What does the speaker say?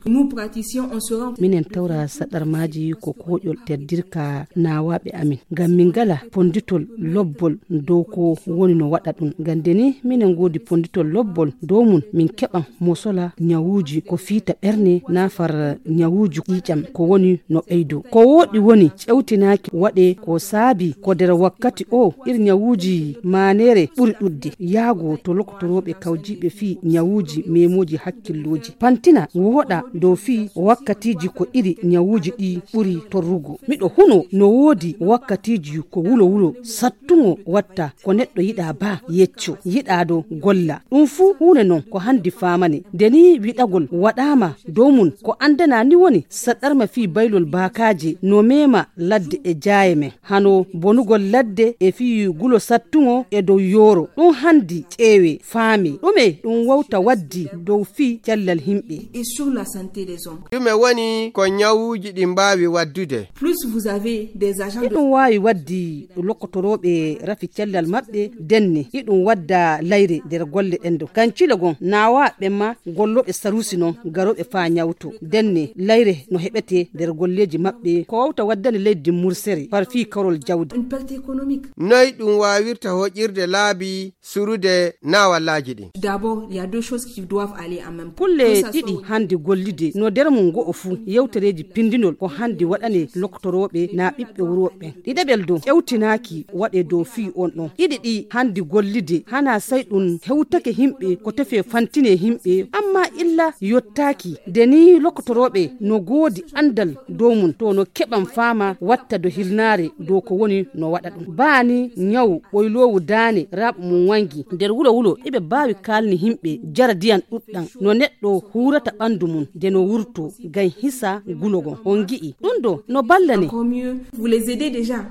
Nous praticiens on se rend minen tawra sadar maji ko koƴol teddirka nawaɓe amin ngam min gala ponditol lobbol dow ko woni no waɗa ɗum gandeni minen godi ponditol lobbol dow mun min keɓan mosola nyawuji ko fiita ɓerne nafar nyawuji ƴiƴam ko woni no ɓeydo ko woɗi woni ƴewtinaki waɗe ko saabi ko nder wakkati o iri nyawuji manere ɓuri ɗudde yaago to lokotoroɓe kawjiɓe fi nyawuji memoji hakkilloji pantina woɗa dow fi wakkatiji ko iri nyawuji ɗi ɓuri torrugo miɗo huno no woodi wakkatiji ko wulo sattugo watta ko neɗɗo yiɗa ba yecco yiɗado golla ɗum fu hunde non ko handi famane deni wiɗagol waɗama dow mun ko andana ni woni saɗarma fi baylol bakaje no mema ladde e jaaye men hano bonugol ladde e fi gulo sattugo e dow yoro ɗum handi ƴeewe faami ɗume ɗum wawta waddi dow fi cellal himɓe et sur la santé des hommes. Ɗume woni ko nyawuji ɗi mbawi waddude? Plus vous avez des agents de ɗum wawi waddi lokotoroɓe rafi cellal maɓɓe denne iɗum wadda layre nder golle ɗendo kancila gon nawaɓe ma golloɓe sarusi non garoɓe fa nyawto denne layre no heɓete nder golleji maɓɓe ko wawta waddani leydi mursere par fi karol jawdi une perte économique. Noy ɗum wawirta hoƴirde laabi surude nawallaji ɗin? D'abord, il y a deux choses qui doivent aller en même temps. kulle ɗiɗi handi gollide no nder mum go'o fu yewtereji pindinol ko handi waɗane loktoroɓe na ɓiɓɓe wuroɓe ɗiɗaɓel dow ƴewtinaki waɗe dow fi on ɗon ɗiɗi ɗi handi gollide hana sai ɗum hewtake himɓe ko tefe fantine himɓe amma illa yottaki deni loktoroɓe no goodi andal dow mum to no keɓan fama watta do hilnare dow ko woni no waɗa ɗum baani nyawu ɓoylowu dane raɓ mum wangi nder wulo eɓe bawi kalni himɓe jara diyan ɗuɗɗan no neɗɗo hurata ɓandu mum de no wurto gam hisa gulogon on gi'i ɗum ɗo no ballane. Encore mieux, vous les aidez déjà.